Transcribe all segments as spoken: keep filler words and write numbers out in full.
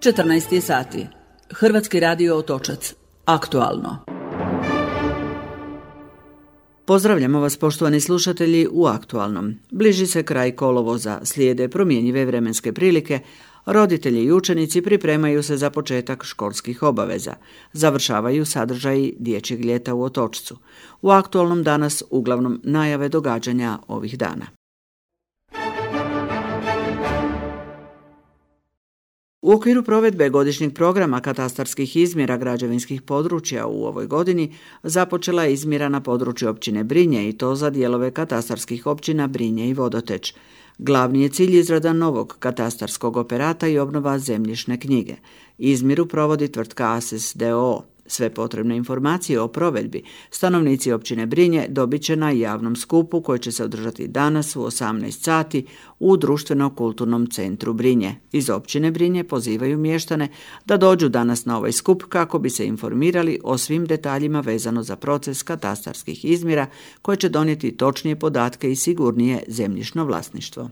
četrnaest je sati. Hrvatski radio Otočac. Aktualno. Pozdravljamo vas, poštovani slušatelji, u Aktualnom. Bliži se kraj kolovoza, slijede promjenjive vremenske prilike, roditelji i učenici pripremaju se za početak školskih obaveza. Završavaju sadržaji dječjeg ljeta u Otočcu. U Aktualnom danas uglavnom najave događanja ovih dana. U okviru provedbe godišnjeg programa katastarskih izmjera građevinskih područja u ovoj godini započela je izmjera na području općine Brinje i to za dijelove katastarskih općina Brinje i Vodoteč. Glavni je cilj izrada novog katastarskog operata i obnova zemljišne knjige. Izmjeru provodi tvrtka A S E S d o o. Sve potrebne informacije o provedbi stanovnici općine Brinje dobit će na javnom skupu koji će se održati danas u osamnaest sati u Društveno-kulturnom centru Brinje. Iz općine Brinje pozivaju mještane da dođu danas na ovaj skup kako bi se informirali o svim detaljima vezano za proces katastarskih izmjera koje će donijeti točnije podatke i sigurnije zemljišno vlasništvo.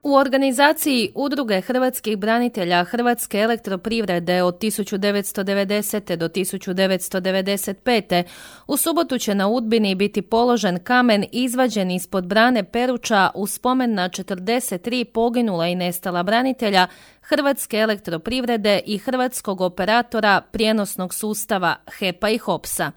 U organizaciji Udruge hrvatskih branitelja Hrvatske elektroprivrede od tisuću devetsto devedesete. do tisuću devetsto devedeset pete. u subotu će na Udbini biti položen kamen izvađen ispod brane Peruča u spomen na četrdeset tri poginula i nestala branitelja Hrvatske elektroprivrede i hrvatskog operatora prijenosnog sustava H E P-a i Hopsa.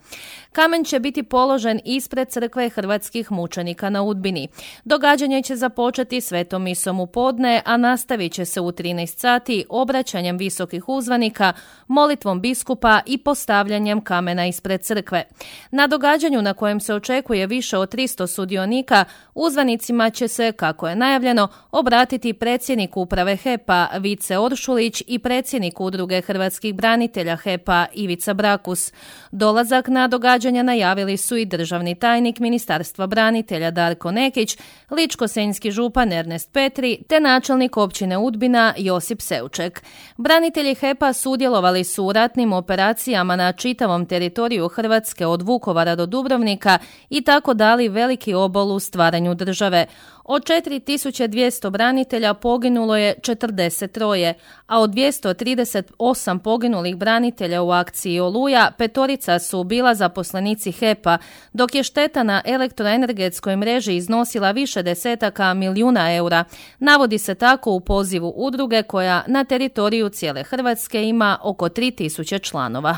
Kamen će biti položen ispred crkve hrvatskih mučenika na Udbini. Događanje će započeti svetom misom u podne, a nastavit će se u trinaest sati obraćanjem visokih uzvanika, molitvom biskupa i postavljanjem kamena ispred crkve. Na događanju na kojem se očekuje više od tristo sudionika, uzvanicima će se, kako je najavljeno, obratiti predsjednik uprave H E P-a Vice Oršulić i predsjednik Udruge hrvatskih branitelja H E P-a Ivica Brakus. Dolazak na događanja najavili su i državni tajnik Ministarstva branitelja Darko Nekić, ličko-senjski župan Ernest Petri te načelnik općine Udbina Josip Seuček. Branitelji H E P-a sudjelovali su u ratnim operacijama na čitavom teritoriju Hrvatske od Vukovara do Dubrovnika i tako dali veliki obol u stvaranju države. Od četiri tisuće dvjesto branitelja poginulo je četrdeset troje, a od dvjesto trideset osam poginulih branitelja u akciji Oluja petorica su bila zaposlenici H E P-a, dok je šteta na elektroenergetskoj mreži iznosila više desetaka milijuna eura. Navodi se tako u pozivu udruge koja na teritoriju cijele Hrvatske ima oko tri tisuće članova.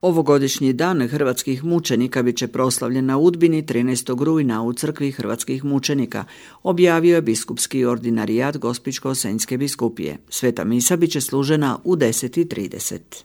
Ovogodišnji dan hrvatskih mučenika bit će proslavljen na Udbini trinaestog rujna u crkvi hrvatskih mučenika, objavio je biskupski ordinarijat Gospićko-senjske biskupije. Sveta misa bit će služena u deset i trideset.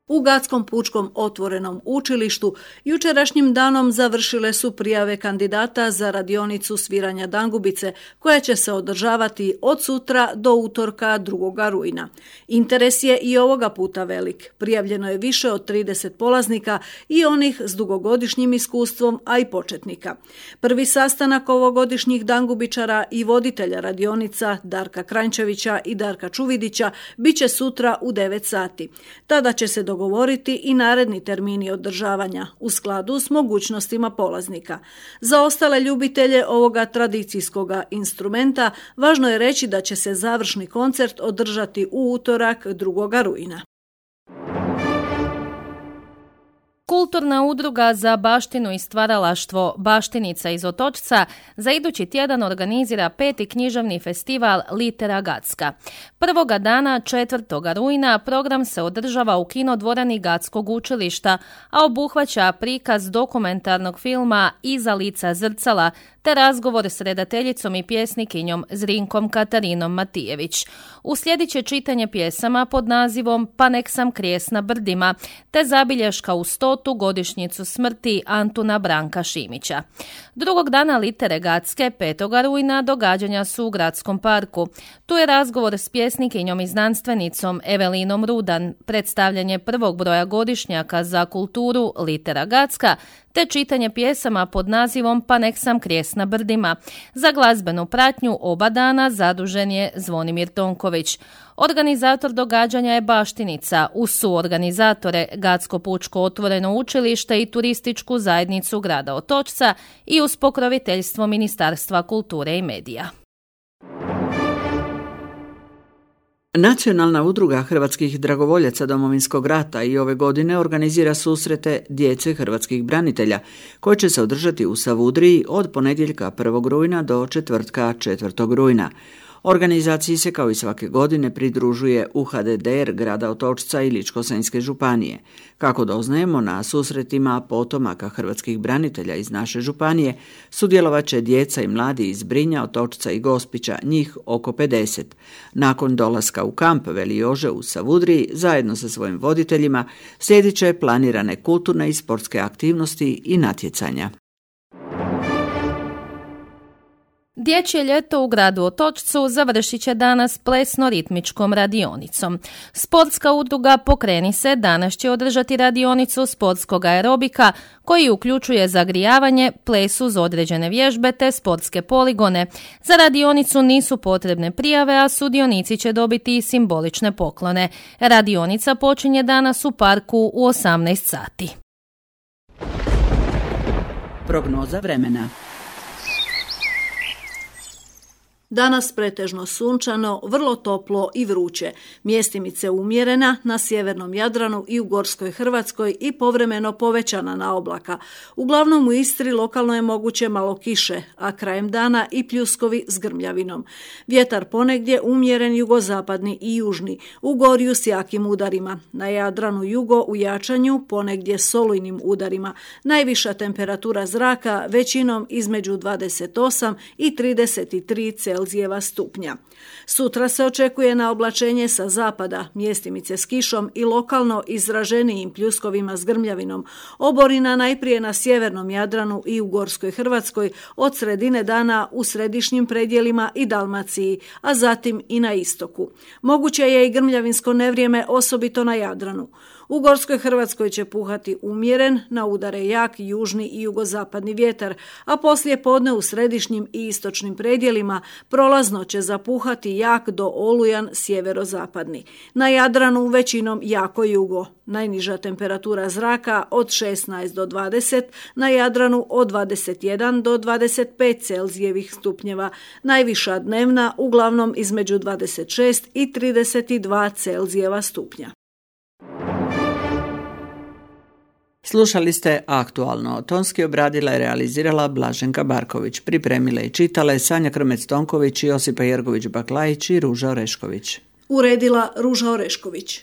U Gatskom pučkom otvorenom učilištu jučerašnjim danom završile su prijave kandidata za radionicu sviranja dangubice koja će se održavati od sutra do utorka drugog rujna. Interes je i ovoga puta velik. Prijavljeno je više od trideset polaznika i onih s dugogodišnjim iskustvom, a i početnika. Prvi sastanak ovogodišnjih dangubičara i voditelja radionica Darka Kranjčevića i Darka Čuvidića bit će sutra u devet sati. Tada će se dogovoriti i naredni termini održavanja u skladu s mogućnostima polaznika. Za ostale ljubitelje ovoga tradicijskog instrumenta važno je reći da će se završni koncert održati u utorak drugog rujna. Kulturna udruga za baštinu i stvaralaštvo Baštinica iz Otočca za idući tjedan organizira peti književni festival Litera Gatska. Prvoga dana, četvrtog rujna, program se održava u kinodvorani Gatskog učilišta, a obuhvaća prikaz dokumentarnog filma Iza lica zrcala te razgovor s redateljicom i pjesnikinjom Zrinkom Katarinom Matijević. Uslijedit će čitanje pjesama pod nazivom Pa nek sam krijes na brdima, te zabilješka u stotu godišnjicu smrti Antuna Branka Šimića. Drugog dana Litere Gatske, petoga rujna, događanja su u Gradskom parku. Tu je razgovor s pjesnikinjom i znanstvenicom Evelinom Rudan, predstavljanje prvog broja godišnjaka za kulturu Litera Gatska, te čitanje pjesama pod nazivom Pa nek sam krijest na brdima. Za glazbenu pratnju oba dana zadužen je Zvonimir Tonković. Organizator događanja je Baštica, uz suorganizatore Gacko pučko otvoreno učilište i turističku zajednicu grada Otočca i uz pokroviteljstvo Ministarstva kulture i medija. Nacionalna udruga hrvatskih dragovoljaca Domovinskog rata i ove godine organizira susrete djece hrvatskih branitelja, koje će se održati u Savudriji od ponedjeljka prvog rujna do četvrtka četvrtog rujna. Organizaciji se kao i svake godine pridružuje U H D D R grada Otočca i Ličko-senjske županije. Kako doznajemo, na susretima potomaka hrvatskih branitelja iz naše županije sudjelovat će djeca i mladi iz Brinja, Otočca i Gospića, njih oko pedeset. Nakon dolaska u kamp Veli Jože u Savudriji, zajedno sa svojim voditeljima, slijedit će planirane kulturne i sportske aktivnosti i natjecanja. Dječje ljeto u gradu Otočcu završit će danas plesno-ritmičkom radionicom. Sportska udruga Pokreni se danas će održati radionicu sportskog aerobika koji uključuje zagrijavanje, ples uz određene vježbe te sportske poligone. Za radionicu nisu potrebne prijave, a sudionici će dobiti i simbolične poklone. Radionica počinje danas u parku u osamnaest sati. Prognoza vremena. Danas pretežno sunčano, vrlo toplo i vruće. Mjestimice umjerena na sjevernom Jadranu i u Gorskoj Hrvatskoj i povremeno povećana na oblaka. Uglavnom u Istri lokalno je moguće malo kiše, a krajem dana i pljuskovi s grmljavinom. Vjetar ponegdje umjeren jugozapadni i južni, u gorju s jakim udarima. Na Jadranu jugo u jačanju, ponegdje s olujnim udarima. Najviša temperatura zraka većinom između dvadeset osam i trideset tri Celzijeva stupnja. Sutra se očekuje na oblačenje sa zapada, mjestimice s kišom i lokalno izraženijim pljuskovima s grmljavinom. Oborina najprije na sjevernom Jadranu i u Gorskoj Hrvatskoj, od sredine dana u središnjim predjelima i Dalmaciji, a zatim i na istoku. Moguće je i grmljavinsko nevrijeme, osobito na Jadranu. U Gorskoj Hrvatskoj će puhati umjeren, na udare jak južni i jugozapadni vjetar, a poslije podne u središnjim i istočnim predjelima prolazno će zapuhati jak do olujan sjeverozapadni. Na Jadranu većinom jako jugo. Najniža temperatura zraka od šesnaest do dvadeset, na Jadranu od dvadeset jedan do dvadeset pet Celzijevih stupnjeva. Najviša dnevna uglavnom između dvadeset šest i trideset dva Celzijeva stupnja. Slušali ste Aktualno. Tonski obradila i realizirala Blaženka Barković. Pripremile i čitale Sanja Krmec-Tonković, Josipa Jergović-Baklajić i Ruža Orešković. Uredila Ruža Orešković.